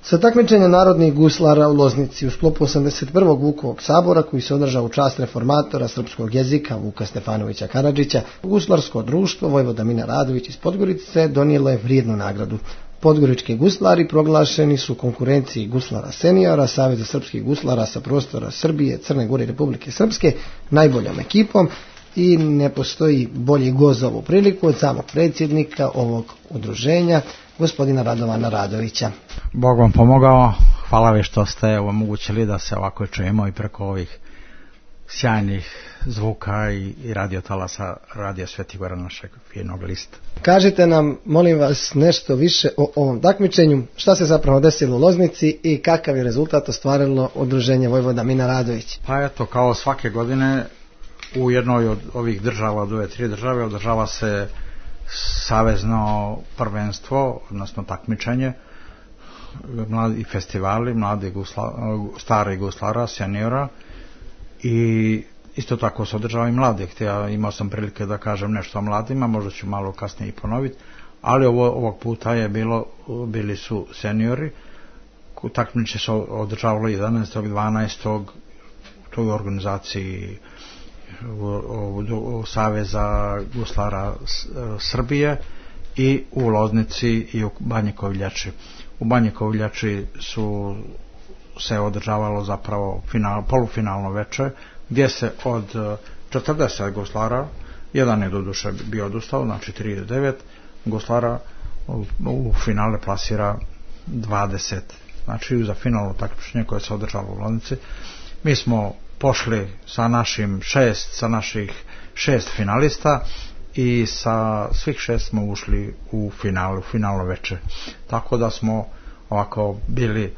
Sa takmičenja narodnih guslara u Loznici u sklopu 81. Vukovog sabora koji se održao u čast reformatora srpskog jezika Vuka Stefanovića Karadžića, guslarsko društvo Vojvoda Mina Radović iz Podgorice donijelo je vrijednu nagradu. Podgorički guslari proglašeni su konkurenciji guslara seniora Saveza srpskih guslara sa prostora Srbije, Crne Gore i Republike Srpske najboljom ekipom i ne postoji bolji gost za ovu priliku od samog predsjednika ovog udruženja, gospodina Radovana Radovića. Bog vam pomogao, hvala vi što ste omogućili da se ovako čujemo i preko ovih sjajnih zvuka i radiotalasa Radio Sveti Gora našeg finog lista. Kažite nam, molim vas, nešto više o ovom takmičenju, šta se zapravo desilo u Loznici i kakav je rezultat ostvarilo udruženje Vojvoda Mina Radović. Pa eto, kao svake godine u jednoj od ovih država, od ove 3 države, održava se savezno prvenstvo, odnosno takmičenje, mladi festivali, stari guslara, seniora, i isto tako se održava i mladih. Ja imao sam prilike da kažem nešto o mladima, možda ću malo kasnije i ponoviti, ali ovog puta bili su seniori. Takmičenje se održavalo 11.12. u toj organizaciji Saveza guslara Srbije i u Loznici i u Banji Koviljači. U Banji Koviljači se održavalo zapravo polufinalno veče, gdje se od 40 guslara, jedan je doduše bio odustao, znači 39 guslara, u finale plasira 20. Znači za finalno takmičenje koje se održalo u Loznici. Mi smo pošli sa naših 6 finalista i sa svih 6 smo ušli u finalno veče. Tako da smo ovako bili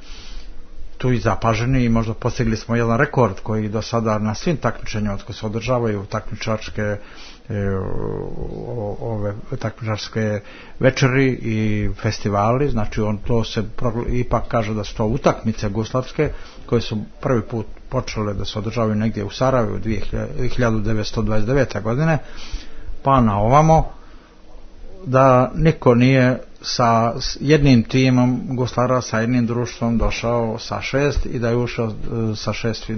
tu i zapaženi i možda postigli smo jedan rekord koji do sada na svim takmičenjima koji se održavaju takmičarske večeri i festivali, znači to se ipak kaže da su to utakmice guslarske koje su prvi put počele da se održavaju negdje u Sarajevu 1929. godine, pa na ovamo, da niko nije sa jednim timom guslara, sa jednim društvom došao sa 6 i da je ušao sa 6,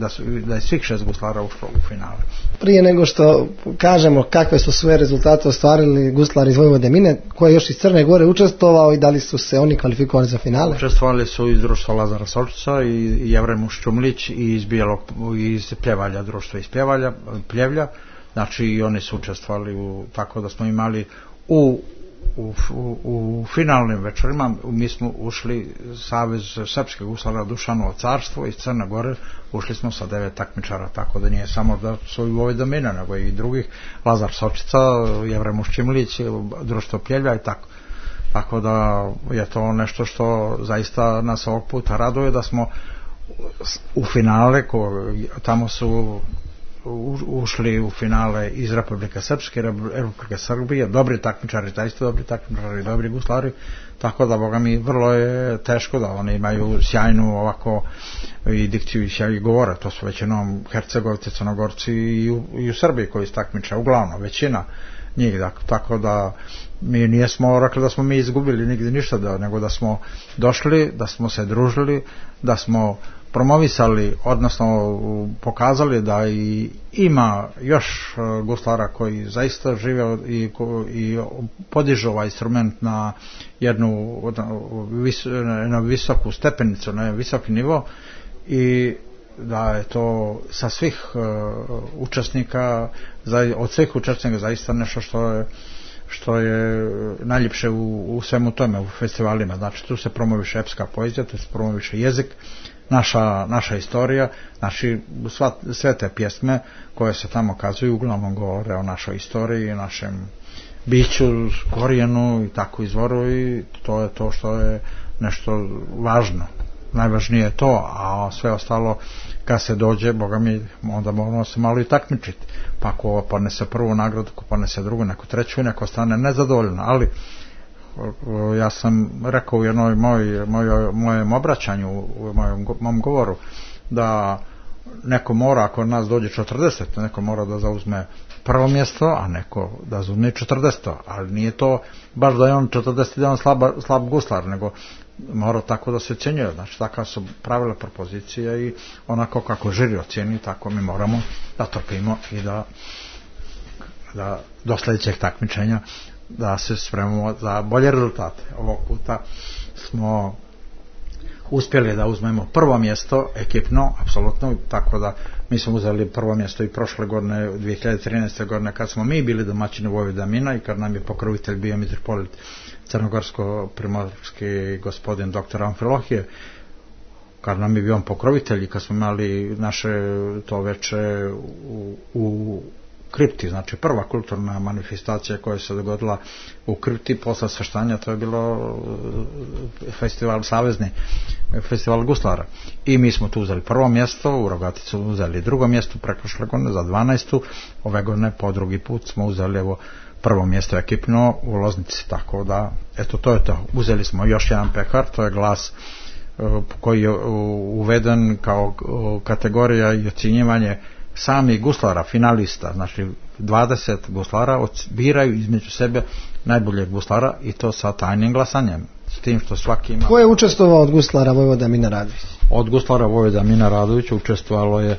da je svih 6 guslara ušlo u finale. Prije nego što kažemo kakve su sve rezultate ostvarili guslari iz Vojvode Mine, ko je još iz Crne Gore učestvovao i da li su se oni kvalifikovali za finale? Učestvovali su iz društva Lazara Solčica i Jevrem Ščumlić i iz Pljevalja, društva iz Pljevlja, znači i oni su učestvovali tako da smo imali u finalnim večerima. Mi smo ušli Savez srpskih guslara Dušanovo carstvo iz Crne Gore, ušli smo sa 9 takmičara, tako da nije samo da su i Vojvoda Mina, nego i drugih, Lazar Sočica, Jevrem Ščimlić, društvo Pljevlja i tako da je to nešto što zaista nas ovog puta raduje, da smo u finale, tamo su ušli u finale iz Republike Srpske, Republike Srbije, dobri takmičari, zaista dobri takmičari, dobri guslari, tako da, boga mi, vrlo je teško da oni imaju sjajnu ovako i dikciju i sjajnu govore. To su većinom Hercegovci, Crnogorci i u Srbiji koji se takmiče, uglavnom, većina njih, tako da mi nijesmo rekli da smo mi izgubili nigdje ništa, nego da smo došli, da smo se družili, da smo promovisali, odnosno pokazali da ima još guslara koji zaista žive i podižu ovaj instrument na jednu visoku stepenicu, na visoki nivo, i da je to sa svih učesnika, od svih učesnika zaista nešto što je najljepše u svemu tome, u festivalima. Znači tu se promoviše epska poezija, tu se promoviše jezik, naša istorija, znači sve te pjesme koje se tamo kazuju uglavnom govore o našoj istoriji, našem biću, korijenu i tako izvoru, i to je to što je nešto važno. Najvažnije je to, a sve ostalo kad se dođe, boga mi, onda moramo se malo i takmičiti, pa ko ponese prvu nagradu, ko ponese drugu, neko treću i neko stane nezadovoljno. Ali ja sam rekao u jednoj mojem obraćanju, u mom govoru, da neko mora, ako nas dođe 40, neko mora da zauzme prvo mjesto, a neko da zauzme 40, ali nije to baš da je on 40 slab guslar, nego mora tako da se ocjenjuje, znači takva su pravila propozicija i onako kako žiri ocjeni, tako mi moramo da trpimo i da do sljedećeg takmičenja da se spremamo za bolje rezultate. Ovog puta smo uspjeli da uzmemo prvo mjesto ekipno, apsolutno, tako da mi smo uzeli prvo mjesto i prošle godine, 2013. godine, kad smo mi bili domaćini Vojvodamina i kad nam je pokrovitelj bio mitropolit crnogorsko-primorski gospodin dr. Amfilohije, kad nam je bio on pokrovitelj i kad smo imali naše to veče u kripti, znači prva kulturna manifestacija koja se dogodila u kripti posle svrštanja, to je bilo festival savezni, festival guslara, i mi smo tu uzeli prvo mjesto, u Rogaticu uzeli drugo mjesto preprošle godine za 12. ove godine po drugi put smo uzeli evo prvo mjesto ekipno u Loznici, tako da eto to je to. Uzeli smo još jedan pehar, to je glas koji je uveden kao kategorija i ocjenjivanje sami guslara, finalista, znači 20 guslara biraju između sebe najboljeg guslara i to sa tajnim glasanjem, s tim što svaki ima... Ko je učestvovao od guslara Vojvoda Mina Radović? Od guslara Vojvoda Mina Radović učestvovalo je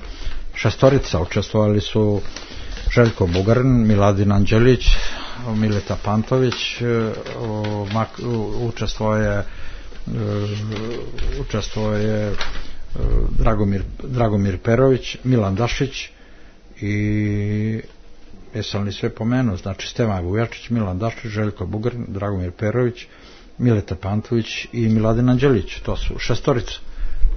6, učestvovali su Željko Bugarin, Miladin Anđelić, Mileta Pantović, učestvovao je Dragomir Perović, Milan Dašić i jesam li sve pomenuo, znači Stevan Vujačić, Milan Dašić, Željko Bugarin, Dragomir Perović, Mileta Pantović i Miladin Anđelić, to su 6.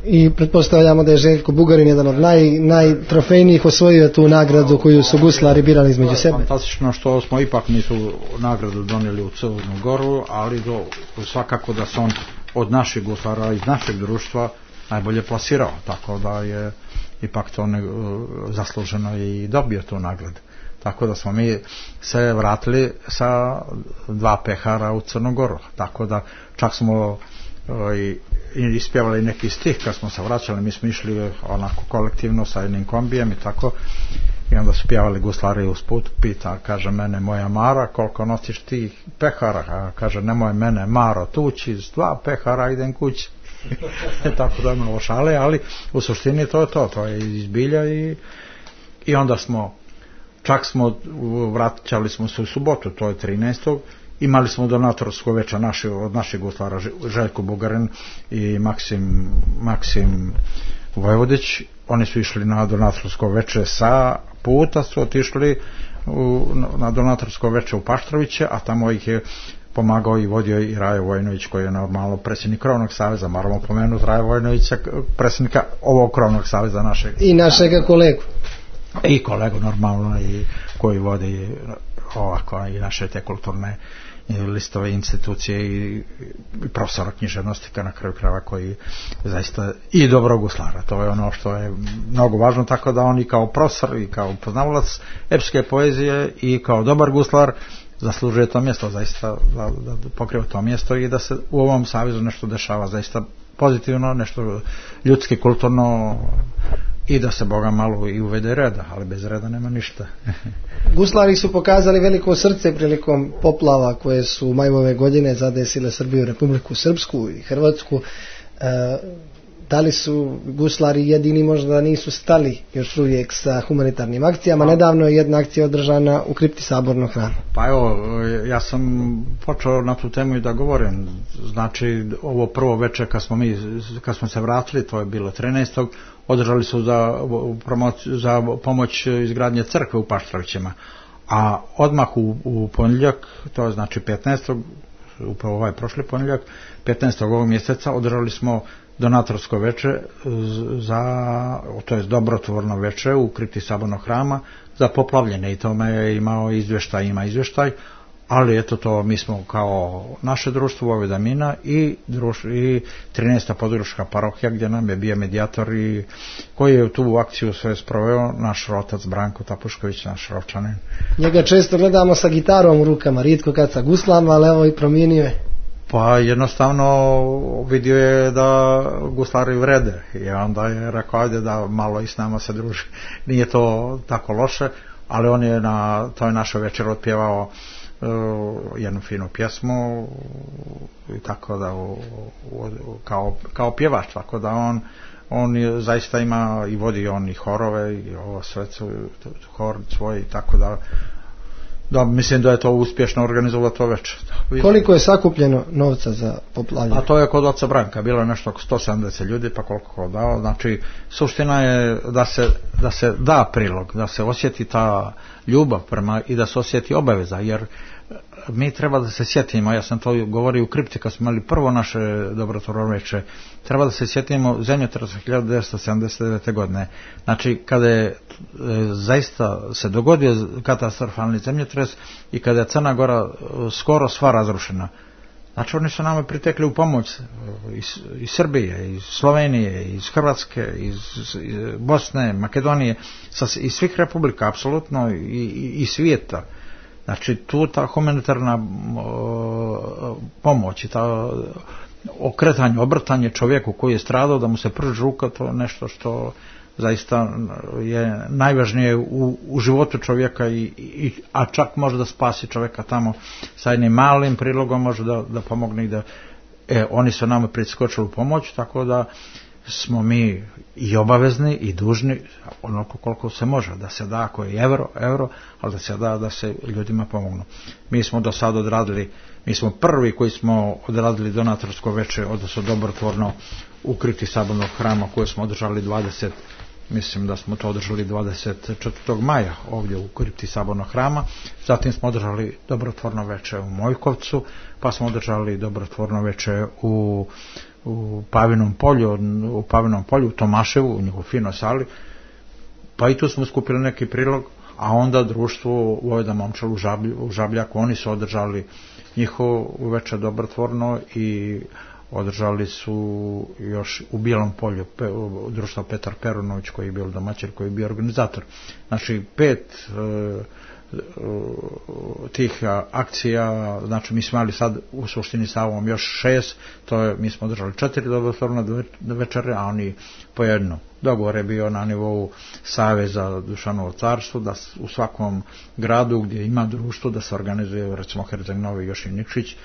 I pretpostavljamo da je Željko Bugarin jedan od najtrofejnijih osvojio tu nagradu koju su guslari birali između sebe. Fantastično što smo ipak nisu nagradu donijeli u Crnu Goru, ali svakako da se on od naših guslara iz našeg društva najbolje plasirao, tako da je ipak to zasluženo i dobio tu nagradu. Tako da smo mi se vratili sa 2 pehara u Crnu Goru, tako da čak smo i ispjevali neki stih kad smo se vraćali, mi smo išli onako kolektivno sa jednim kombijem i tako, i onda su pjevali guslari usput, pita, kaže, mene moja Mara, koliko nosiš ti pehara, a kaže, nemoj mene Maro tući, s 2 pehara idem kući. Tako da je malo šale, ali u suštini to je izbilja i onda vraćali smo se u subotu, to je 13. Imali smo donatorsko veče od naših guslara, Željko Bugarin i Maksim Vojvodić, oni su išli na donatorsko veče sa puta, su otišli na donatorsko veče u Paštroviće, a tamo ih je pomagao i vodio i Rajo Vojnović, koji je normalno predsjednik Krovnog saveza, moramo pomenuti Rajo Vojnovića, predsjednika ovog Krovnog saveza našeg. I našega kolegu. I kolegu normalno, i koji vodi ovako i naše te kulturne listove institucije i profesora književnosti na kraju krajeva, koji zaista i dobrog guslara, to je ono što je mnogo važno, tako da on i kao profesor i kao poznavalac epske poezije i kao dobar guslar zaslužuje to mjesto, zaista da pokriva to mjesto i da se u ovom savezu nešto dešava zaista pozitivno, nešto ljudski, kulturno, i da se Boga malo i uvede reda, ali bez reda nema ništa. Guslari su pokazali veliko srce prilikom poplava koje su majove godine zadesile Srbiju, Republiku Srpsku i Hrvatsku. Da li su guslari jedini, možda nisu stali još uvijek sa humanitarnim akcijama? Nedavno je jedna akcija održana u kripti Sabornog hrama. Pa evo, ja sam počeo na tu temu i da govorim. Znači, ovo prvo večer kad smo se vratili, to je bilo 13. održali su za pomoć izgradnje crkve u Paštrovićima. A odmah u ponedjeljak, to je znači 15. upravo ovaj prošli ponedjeljak, 15. ovog mjeseca održali smo donatorsko veče to je dobrotvorno veče u kripti Sabornog hrama za poplavljene, i tome je ima izvještaj, ali eto to mi smo kao naše društvo Vojvoda Mina i 13. područna parohija, gdje nam je bio medijator i koji je tu akciju sve sproveo naš otac Branko Tapušković, naš Rovčanin. Njega često gledamo sa gitarom u rukama, rijetko kad sa guslama, ali evo i promijenio je. Pa jednostavno vidio je da guslari vrede i onda je rekao, ajde da malo i s nama se druži. Nije to tako loše, ali on je na toj našoj večer otpjevao jednu finu pjesmu i tako da kao pjevač, tako da on je, zaista ima i vodi on i horove i ovo sve hor svoj, tako da mislim da je to uspješno organizovalo to večer. Koliko je sakupljeno novca za poplavljanje? A to je kod oca Branka, bilo je nešto oko 170 ljudi, pa koliko dao. Znači, suština je da se da prilog, da se osjeti ta ljubav prema i da se osjeti obaveza, jer mi treba da se sjetimo, ja sam to govorio u kripti kad smo imali prvo naše dobrotvorno veče, treba da se sjetimo zemljotresa 1979. godine. Znači, kada je zaista se dogodio katastrofalni zemljotres i kada je Crna Gora skoro sva razrušena. Znači, oni su nama pritekli u pomoć iz Srbije, iz Slovenije, iz Hrvatske, iz Bosne, Makedonije, iz svih republika, apsolutno, i svijeta. Znači, tu ta humanitarna pomoć i ta okretanje, obrtanje čovjeku koji je stradao, da mu se pruži ruka, to je nešto što zaista je najvažnije u životu čovjeka, a čak može da spasi čovjeka tamo sa jednim malim prilogom, može da pomogne i da oni su nama priskočili u pomoć, tako da smo mi i obavezni i dužni onoliko koliko se može da se da, ako je euro, ali da se da se ljudima pomognu. Mi smo do sada odradili, mi smo prvi koji smo odradili donatorsko veče, odnosno dobrotvorno u kripti Sabornog hrama koje smo održali mislim da smo to održali 24. maja ovdje u kripti Sabornog hrama. Zatim smo održali dobrotvorno veče u Mojkovcu, pa smo održali dobrotvorno veče u Pavinom polju, u Tomaševu, u njihovoj finoj sali, pa i tu smo skupili neki prilog, a onda društvo Vojvoda Momčil u Žabljaku, oni su održali njihovo veče dobrotvorno i održali su još u Bijelom polju društvo Petar Perunović koji je bio domaćin, koji je bio organizator. Znači 5 tih akcija, znači mi smo imali sad u suštini sa ovom još 6, to je, mi smo održali 4 dobrotvorne večere, a oni po jedno. Dogovor je bio na nivou Saveza Dušanovo carstvo, da u svakom gradu gdje ima društvo da se organizuje, recimo Herceg Novi, još i Nikšić,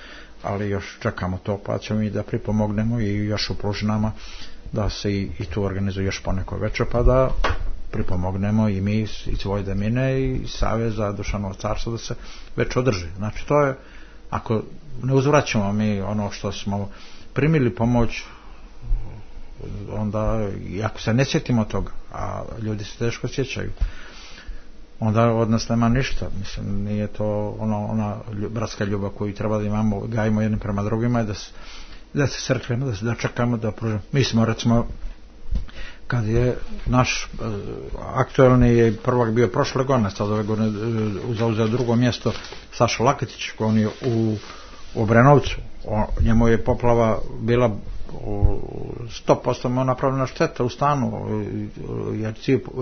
ali još čekamo to, pa ćemo i da pripomognemo i još u Plužinama da se i tu organizuje još poneko večer, pa da pripomognemo i mi iz Vojvodine i Saveza Dušanovo carstvo da se već održi. Znači to je, ako ne uzvraćamo mi ono što smo primili pomoć, onda, i ako se ne sjetimo toga, a ljudi se teško sjećaju, onda od nas nema ništa. Mislim, nije to ona bratska ljubav koju treba da imamo, gajimo jednim prema drugima i da se sretnemo, da čekamo da pružimo. Mi smo, recimo, kad je naš aktuelni je prvak bio prošle godine, sad ove godine zauzeo drugo mjesto Saša Laketić, on je u Obrenovcu, njemu je poplava bila 100% napravljena šteta u stanu,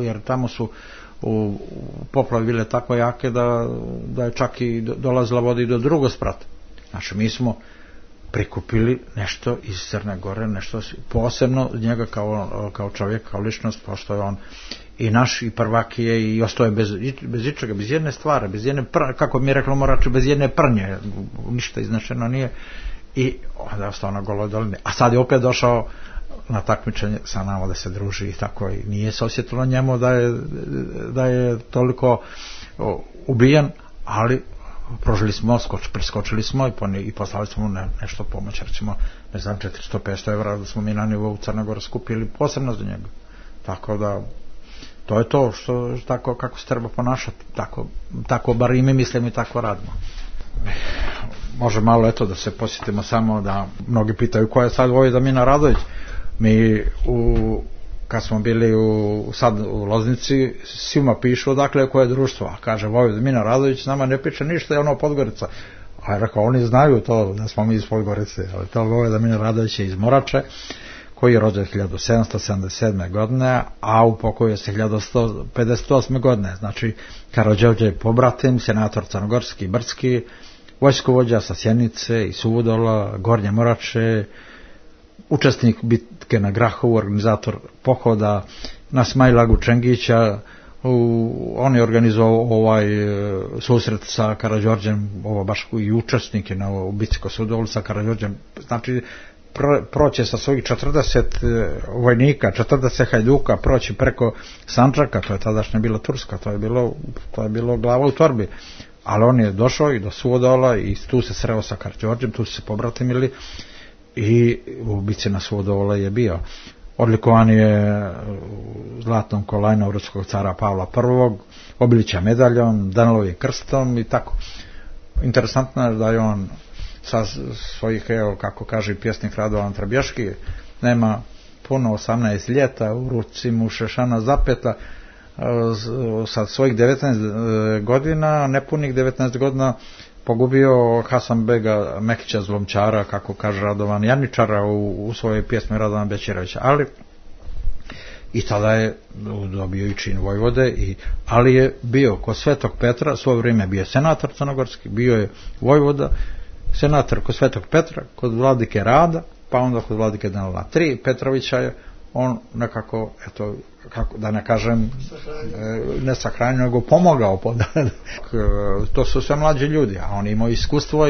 jer tamo su u poplavi bile tako jake da je čak i dolazila voda i do drugog sprata. Znači mi smo prikupili nešto iz Crne Gore, nešto posebno njega kao čovjek, kao ličnost, pošto je on i naš i prvak je i ostao je bez ičega, bez jedne stvari, bez jedne kako mi je reklo Morači, bez jedne prnje, ništa iznačeno nije, i onda je ostao na Goloj dolini. A sad je opet došao na takmičenje sa nama da se druži i tako, i nije se osjetilo njemu da je toliko ubijen, ali prožili smo, priskočili smo i poslali smo nešto pomoć, recimo, ne znam, 400-500 evra da smo mi na nivou Crne Gore skupili posebno za njega. Tako da, to je to što tako kako se treba ponašati, tako bar i mi mislimo i tako radimo. Može malo eto da se posjetimo samo da mnogi pitaju ko je sad Vojvoda Mina Radović. Mi kad smo bili sad u Loznici, svima pišu odakle koje je društvo, a kaže Vojvoda Mina Radović, nama ne piše ništa, je ono Podgorica. A je rekao, oni znaju to da smo mi iz Podgorice, ali to Vojvoda Mina Radović je iz Morače, koji je rođen 1777. godine, a u pokoju se 1158. godine. Znači, Karadžorđe pobratim, senator crnogorski, brdski, vojskovođa sa Sjenice i Suvodola, Gornje Morače, učesnik bitke na Grahovu, organizator pohoda na Smajlagu Čengića, on je organizovao susret sa Karađorđem, ovo baš i učesnike u bici kod Sudovola sa Karađorđem, znači proći sa svojih 40 vojnika, 40 hajduka, proći preko Sandžaka, to je tadašnja bila Turska, to je bilo glava u torbi, ali on je došao i do Suvodola i tu se sreo sa Karađorđem, tu su se pobratimili i u bici na Suvodola je bio. Odlikovan je zlatnom kolajnom ruskog cara Pavla I, Obilića medaljom, Danilovim krstom i tako. Interesantno je da je on sa svojih, evo kako kaže pjesnik Radovan Trabješki, nema puno 18 ljeta, u ruci mu šešana zapeta, sa svojih 19 godina, nepunih 19 godina, pogubio Hasanbega Mekića Zlomčara, kako kaže Radovan Janičara u svojoj pjesmi Radovan Bećirovića, ali i tada je dobio i čin vojvode, ali je bio kod Svetog Petra, svoje vrijeme bio senator crnogorski, bio je vojvoda, senator kod Svetog Petra, kod vladike Rada, pa onda kod vladike Danila III Petrovića je on nekako, eto, kako da ne kažem, ne sahranio, nego pomogao. To su sve mlađi ljudi, a on imao iskustvo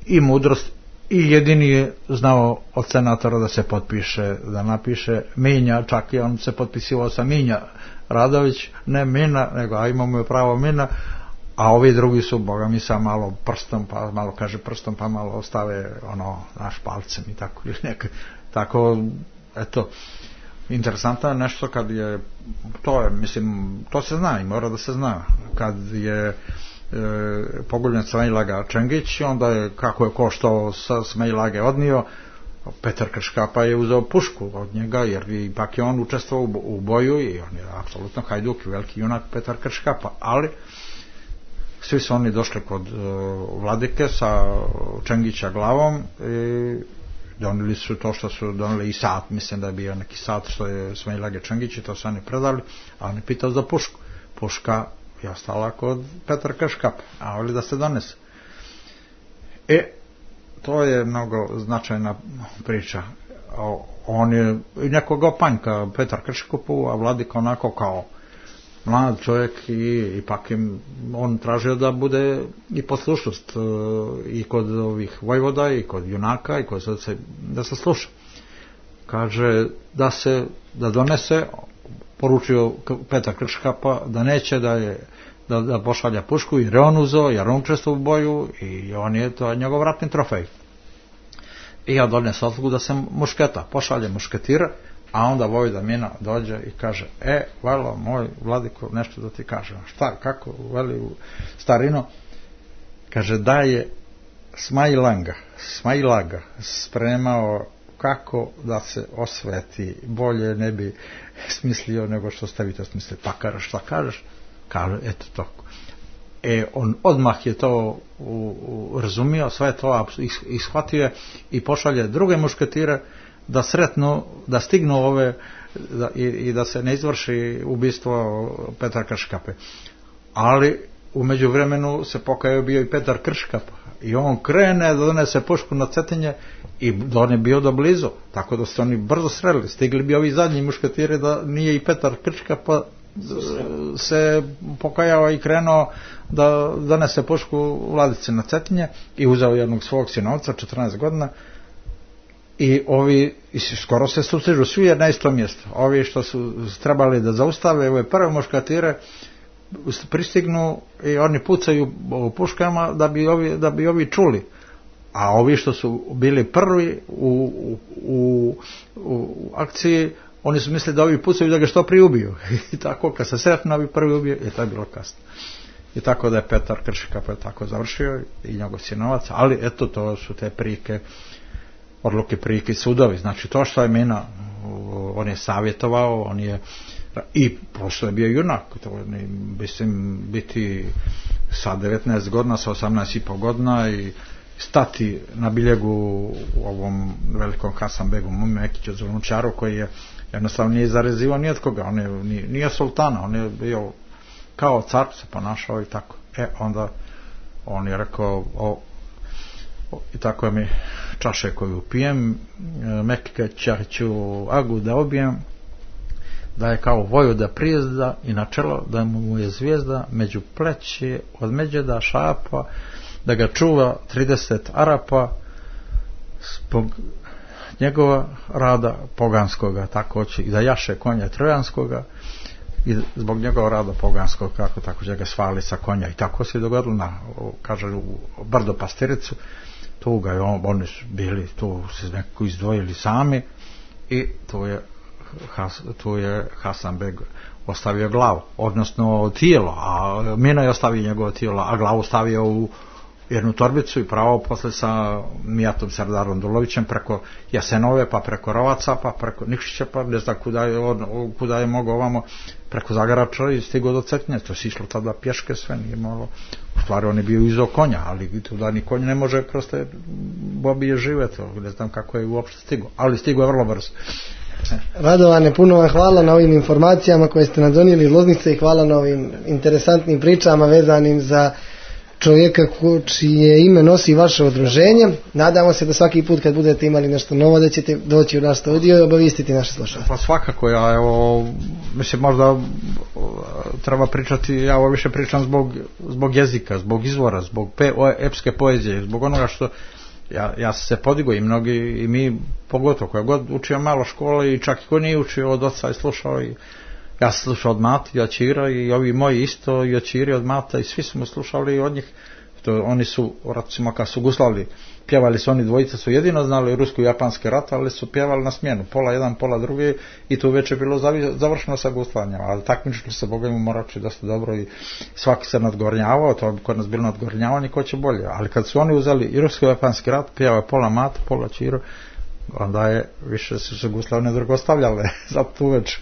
i mudrost, i jedini je znao od senatora da se potpiše, da napiše Minja, čak i on se potpisivao sa Minja Radović, ne Mina, nego a imamo je pravo Mina, a ovi drugi su, boga mi, sa malo prstom, pa malo kaže prstom, pa malo ostave naš palcem i tako, ili tako, eto. Interesantno je nešto kad je, to je, mislim, to se zna i mora da se zna, kad je poguljen Smailaga Čengić, onda je, kako je ko što sa Smailage odnio, Petar Krškapa je uzeo pušku od njega, jer ipak je on učestvovao u boju i on je apsolutno hajduk i veliki junak Petar Krškapa, ali svi su oni došli kod vladike sa Čengića glavom i donili su to što su donili i sat, mislim da je bio neki sat što je Smailage Čengić i to su oni predali, a on je pitao za pušku. Puška je ostala kod Petra Krškapa, a ovdje da se donese. To je mnogo značajna priča. On je i nekog opanjka Petar Krškapu, a vladika onako kao mlad čovjek i ipak on tražio da bude i poslušnost i kod ovih vojvoda i kod junaka i kod da se sluša. Kaže da donese, poručio Petar Krškapa da neće da pošalja pušku, jer je on uzeo, jer on učestvovao u boju i to je njegov ratni trofej. I ja donese odluku da se mušketa, pošalje mušketira, a onda vojvoda Mina dođe i kaže, velo moj vladiko, nešto da ti kažem. Šta, kako, veli u starino, kaže da je Smailaga spremao kako da se osveti, bolje ne bi smislio nego što ste vi to smislili. Pa kaže, šta kažeš? Kaže, eto to. On odmah je to razumio, sve to ishvatio i pošalje druge mušketire da sretnu, da stignu ove i da se ne izvrši ubistvo Petra Krškape. Ali u međuvremenu se pokajao bio i Petar Krškap i on krene da donese pušku na Cetinje i on je bio do blizu, tako da su oni brzo sreli. Stigli bi ovi zadnji mušketiri da nije i Petar Krškap se pokajao i krenuo da donese pušku vladici na Cetinje i uzeo jednog svog sinovca 14 godina i ovi skoro se sustižu svi na isto mjesto. Ovi što su trebali da zaustave ove prve muškatire pristignu i oni pucaju puškama da bi ovi čuli, a ovi što su bili prvi u akciji, oni su mislili da ovi pucaju da ga što prije ubiju i tako kad se sretno ovi prvi ubiju i to je bilo kasno. I tako da je Petar Krškap tako završio i njegov sinovac, ali eto to su te prike, odluke, prike, sudovi. Znači to što je Mina, on je savjetovao, on je i prosto je bio junak, mislim biti sa 19 godina, sa 18,5 godina i stati na biljegu u ovom velikom Hasanbegu Mekiću Zlomčaru koji je jednostavno nije zarezivao ni od koga, on je nije sultana, on je bio kao car, se ponašao i tako. Onda on je rekao i tako je mi čaše koju pijem, Mekića ću agu da obijem, da je kao vojvoda prijezda i na čelo da mu je zvijezda među pleće od međeda šapa, da ga čuva 30 Arapa zbog njegova rada poganskoga, tako će i da jaše konja trojanskoga i zbog njegova rada poganskog, kako tako će ga svali sa konja. I tako se dogodilo kaže, u Brdo Pastiricu. Tu ga je oni bili, tu se nekako izdvojili sami i tu je Hasanbeg ostavio glavu, odnosno tijelo, a Mino je ostavio njegovo tijelo, a glavu stavio u jednu torbicu i pravo posle sa Mijatom Serdarom Dulovićem preko Jasenove, pa preko Rovaca, pa preko Nikšića, pa ne znam kuda je mogao ovamo, preko Zagarača i stigao do Cetinja. To se išlo tada pješke sve, nije malo, u stvari on je bio izo konja, ali da ni konj ne može prosto Bobije žive, to ne znam kako je uopšte stigao, ali stigao je vrlo brzo. Radovane, puno vam hvala na ovim informacijama koje ste nam donijeli iz Loznice i hvala na ovim interesantnim pričama vezanim za čovjeka čije ime nosi vaše udruženje. Nadamo se da svaki put kad budete imali nešto novo da ćete doći u naš studio i obavistiti naše slušalce. Pa svakako, ja mislim možda treba pričati, ja ovo više pričam zbog jezika, zbog izvora, zbog epske poezije, zbog onoga što ja se podigao i mnogi, i mi pogotovo koja god učio malo škole i čak i ko nije učio od oca i slušao, i ja sam slušao od Mati i od Ćira i ovi moji isto i od Ćiri od Mata i svi smo slušali od njih. Oni su, recimo kad su guslavili, pjevali su, oni dvojica su jedino znali rusko-japanski rat, ali su pjevali na smjenu, pola jedan, pola drugi, i tu već je bilo završeno sa guslanjem, ali takmičili se Boga im morači dosta dobro i svaki se nadgornjavao, to bi kod nas bilo nadgornjavanje ko će bolje, ali kad su oni uzeli i rusko-japanski rat, pjevao pola Mata, pola Ćiro, onda je više su se guslave ne drugo stavljale za tu već.